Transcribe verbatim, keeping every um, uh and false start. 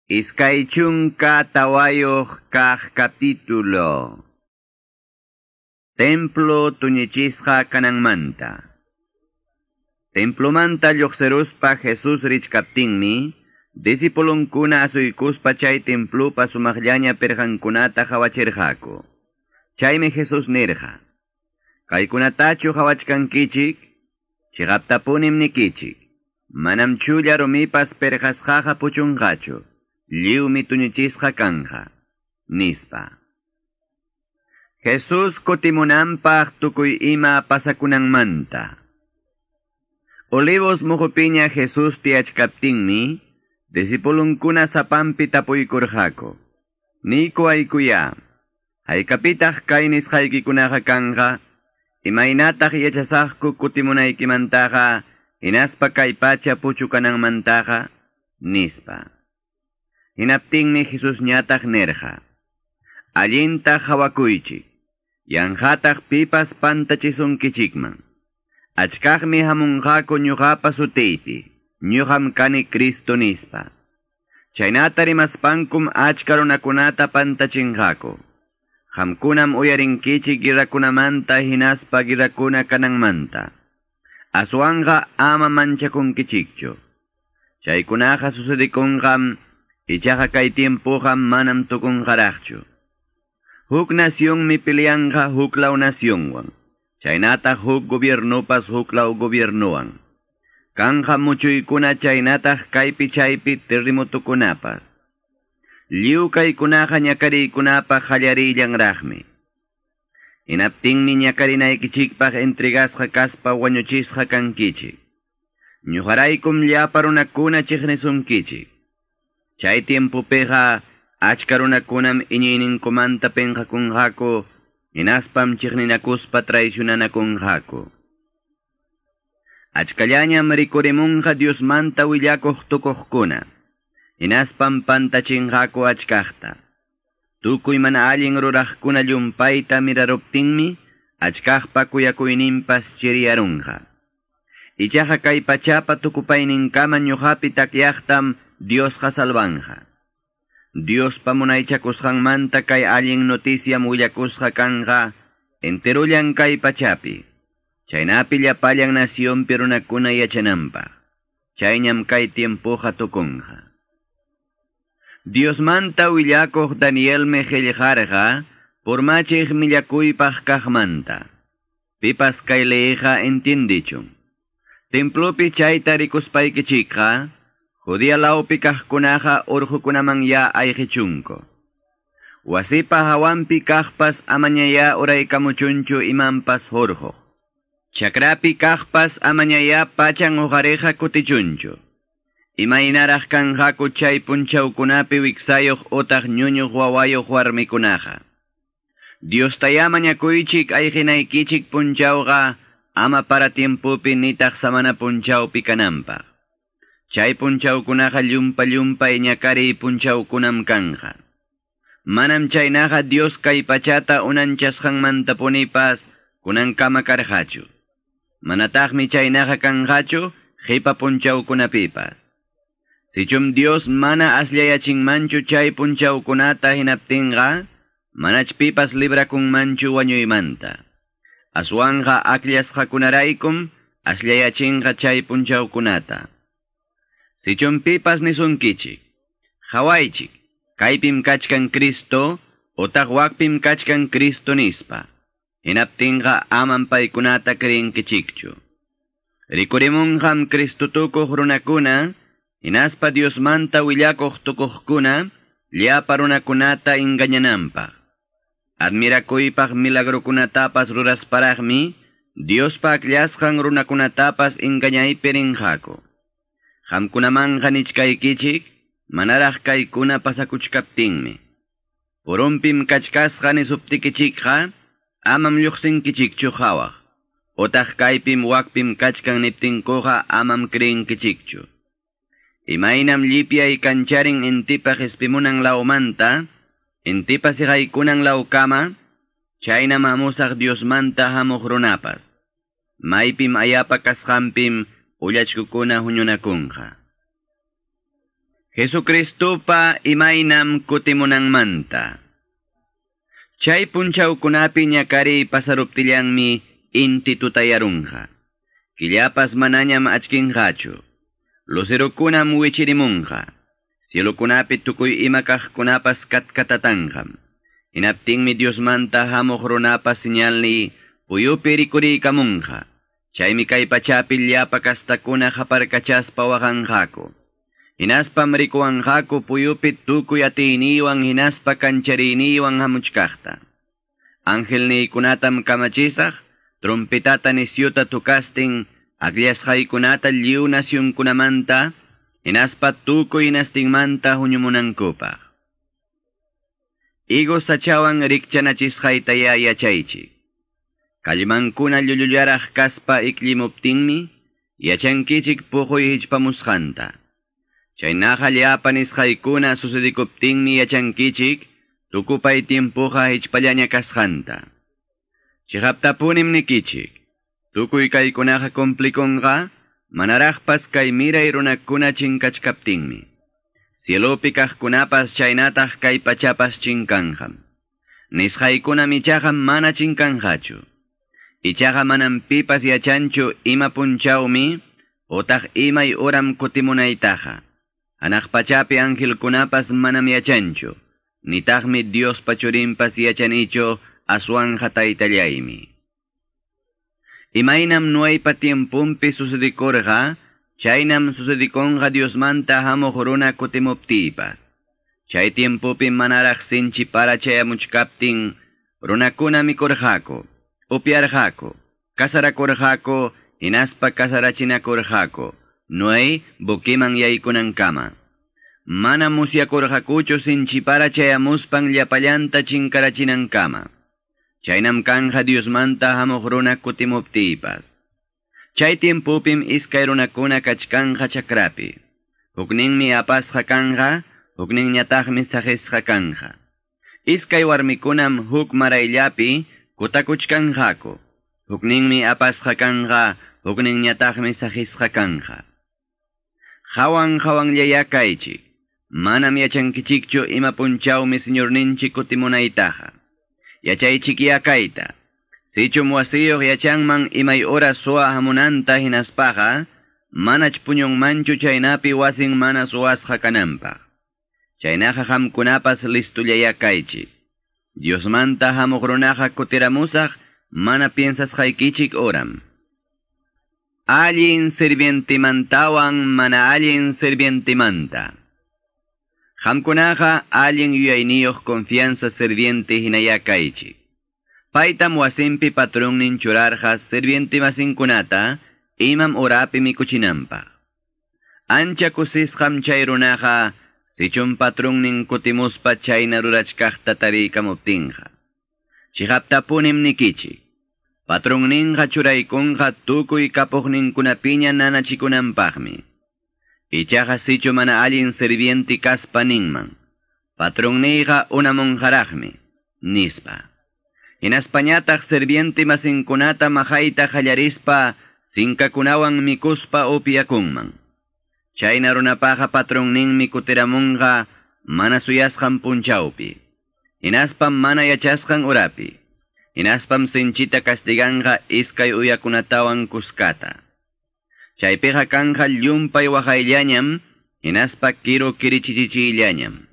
Iskay chunka tawayuq kaq capítulo. Templo tuñichisqa kananmanta. Templomanta lluqsiruspa Jesús richkaptinmi, discipulunkuna asuykuspa chay templupa sumaqllaña pirqankunata qhawachirqaku. Chaymi Jesús nirqa: Kaykunatachu qhawachkankichik? Chiqaptapunim nikichik. Manam chulla rumipas pirqasqaqa puchunqachu. Lliwmi tuñichisqa kanja, nispa. Jesús kutimunanpaq tukuy ima pasakunanmanta. Olivos muhupiña Jesús tiyachkaptinmi, discipulunkuna sapanpi tapuykurqaku. Niyku aykuya, haykapitaq kay nisqaykikunaqa kanqa, imaynataq yachasaqku kutimunaykimantaqa, hinaspa kay pacha puchukananmantaqa, nispa. Hinaptinmi Jesús ñataq nirqa: Allinta qhawakuychik, yanqataq pipas pantachisunkichikman. Achkaqmi hamunqaku ñuqapa sutiypi, ñuqam kani Cristo nispa. Chaynata rimaspankum achka runakunata pantachinqaku. Qamkunam uyarinkichik guerrakunamanta hinaspa guerrakuna kananmanta. Aswanqa ama manchakunkichikchu. Chaykunaqa sucedikunqam, ichaqa kay tiempoqa manam tukunqaraqchu. Huk nacionmi peleanqa huklaw nacionwan, chaynataq huk gobiernopas huklaw gobiernowan. Kanja muchuykuna chaynataq kaypi chaypi terremotokunapas. Lliw kaykunaqa ñakariykunapaq qallarillanraqmi. Hinaptinmi ñakarinaykichikpaq entregasqa kaspa wañuchisqa kankichik. Ñuqaraykum llapa runakuna chiqnisunkichik. Chay tiempopiqa achka runakunam iñiyninkumanta pinqakunqaku, hinaspam chiqninakuspa traicionanakunqaku. Achkallañam rikurimunqa Diosmanta willakuq tukuqkuna, hinaspam pantachinqaku achkaqta. Tukuy mana allin ruraqkuna llumpayta miraruptinmi, achkaqpa kuyakuyninpas chiriyarunqa. Ichaqa kay pachapa tukupayninkama ñuqapi takyaqtam Diosqa salvanja. Diospa munaychakusqanmanta kay allin noticiam willakusqa kanqa enterullan kay pachapi. Chaynapi llapallan nacionpi runakuna yachananpaq. Chayñam kay tiempoqa tukunqa. Diosmanta willakuq Danielmi qillqarqa purmachiq millakuypaq kaqmanta. Pipas kay leeqa entiendichun. Templopi chayta rikuspaykichikqa, Judea lawpi kaqkunaqa urqukunaman ya ayqichunku. Wasipa hawanpi kaqpas amañaya uraykamuchunchu imanpas hurquq. Chakrapi kaqpas amañaya pachan uqariqa kutichunchu. Imaynaraq kanqaku chay punchawkunapi wiksayuq utaq ñuñuq wawayuq warmikunaqa. Diostaya mañakuychik ayqinaykichik punchawqa ama para tiempopi nitaq samana punchawpi kananpaq. Chay punchawkunaqa llumpa llumpay ñakariy punchawkunam kanja. Manam chaynaqa Dios kay pachata unanchasqanmantapunipas kunankama karqachu. Manataqmi chaynaqa kanqachu qipa punchawkunapipas. Sichum Dios mana asllayachinmanchu chay punchawkunata hinaptinqa, manach pipas librakunmanchu wañuymanta. Aswanqa akllasqakunaraykum asllayachinqa chay punchawkunata. Sichum pipas nisunkichik, qhawaychik, kaypim kachkan Cristo, utaq wakpim kachkan Cristo nispa. Hinaptinqa amam paykunata creenkichikchu. Rikurimunqam Cristo tukuq runakuna, hinaspa Diosmanta willakuq tukuqkuna, llapa runakunata engañananpaq. Admirakuypaq milagrokunatapas rurasparaqmi, Diospa akllasqan runakunatapas engañaypi rinqaku. Qamkunamanqa nichkaykichik, manaraq kaykuna pasakuchkaptinmi. Purumpim kachkasqa nisuptikichikqa, amam lluqsinkichikchu qhawaq. Utaq kaypim wakpim kachkan niptinkuqa amam creenkichikchu. Imaynam llipyay kancharin intipa qispimunan lawmanta, intipa siqaykunan lawkama, chaynam hamusaq Diosmanta hamuq runapas. Maypim ayapa kasqanpim ullachkukuna huñunakunqa. Jesucristupa imaynam kutimunanmanta. Chay punchawkunapi ñakariy pasaruptillanmi inti tutayarunqa. Killapas manañam achkinqachu. Lucerokunam wichirimunqa. Cielokunapi tukuy ima kaqkunapas katkatatanqam. Hinaptinmi Diosmanta hamuq runapa señalni puyupi rikuriykamunqa. Chaymi kay pachapi llapa kastakuna qaparkachaspa waqanqaku. Hinaspam rikuwanqaku puyupi tukuy atiyniwan hinaspa kanchariyniwan hamuchkaqta. Angelniykunatam kamachisaq, trompetata nisyuta tukastin, akllasqaykunata lliw nasyunkunamanta, hinaspa tukuy hinastinmanta huñumunankupaq. Higos sachawan rikchanachisqaytaya yachaychik. Kallmankuna llullullaraq kaspa ikllimuptinmi, yachankichik puquy hichpamusqanta. Chaynaqa llapa nisqaykuna sucedikuptinmi yachankichik, tukupay tiempuqa hichpallaña kasqanta. Chiqaptapunim nikichik, tukuy kaykunaqa cumplikunqa, manaraqpas kay miray runakuna chinkachkaptinmi. Cielopi kaqkunapas chaynataq kay pachapas chinkanqam. Nisqaykuna ichaqa mana chinkanqachu. Ichaqa manam pipas yachanchu ima punchawmi, otaq imay uram kutimunaytaqa. Hanaq pachapi angelkunapas manam yachanchu, nitaqmi Diospa churinpas yachanichu aswanja taytallaymi. Imaynam Noeypa tiempumpi sucedikurqa, chaynam sucedikunqa Diosmanta hamuq runa kutimuptiypas. Chay tiempupi manaraq sinchi para chayamuchkaptin, runakuna mikurqaku, upyarqaku, kasarakurqaku, hinaspa kasarachinakurqaku, Noé buquiman yaykunankama. Mana musyakurqakuchu sinchipara chayamuspan llapallanta chinkarachinankama. Chaynam kanja Diosmanta hamuq runa kutimuptiypas. Chay tiempupim iskay runakuna kachkanja chakrapi. Hukninmi apasqa kanja, hukninñataqmi saqisqa kanja. Iskay warmikunam huk marayllapi kutakuchkanqaku. Hukninmi apasqa kanja, hukninñataqmi saqisqa kanja. Hawan hawanllaya kaychik. Manam yachankichikchu ima punchawmi Señorninchik kutimunaytaqa. Yachaychikya kayta. Sichum wasiyuq yachanman imay ora suwa hamunanta hinaspaqa, manach puñunmanchu chaynapi wasin mana suwasqa kananpaq. Chaynaqa qamkunapas listullaya kaychik. Diosmanta hamuq runaqa kutiramusaq mana piensasqaykichik oram. Allin sirvientimantawan mana allin sirvientimanta. Qamkunaqa allin yuyayniyuq confianza sirviente hinaya kaychik. Paytam wasinpi patronnin churarqa sirvientimasinkunata imam urapi mikuchinanpaq. Ancha kusisqam chay runaqa sichum patronnin kutimuspa chayna rurachkaqta tariykamuptinqa. Chiqaptapunim nikichik. Patronninqa churaykunqa tukuy kapuqninkunapiña nanachikunanpaqmi. Ichaqa sichu mana allin sirviente kaspa ninman. Patronniyqa unamunqaraqmi, nispa. Hinaspañataq sirviente masinkunata maqayta qallarispa sinkakunawan mikuspa upyakunman. Chayna runapaqa patronninmi kutiramunqa mana suyasqan punchawpi. Hinaspam mana yachasqan urapi. Hinaspam sinchita castiganqa iskay uyakunatawan kuskata. Chaypiqa kanja llumpay waqayllañam, hinaspa kiru kirichichichillañam.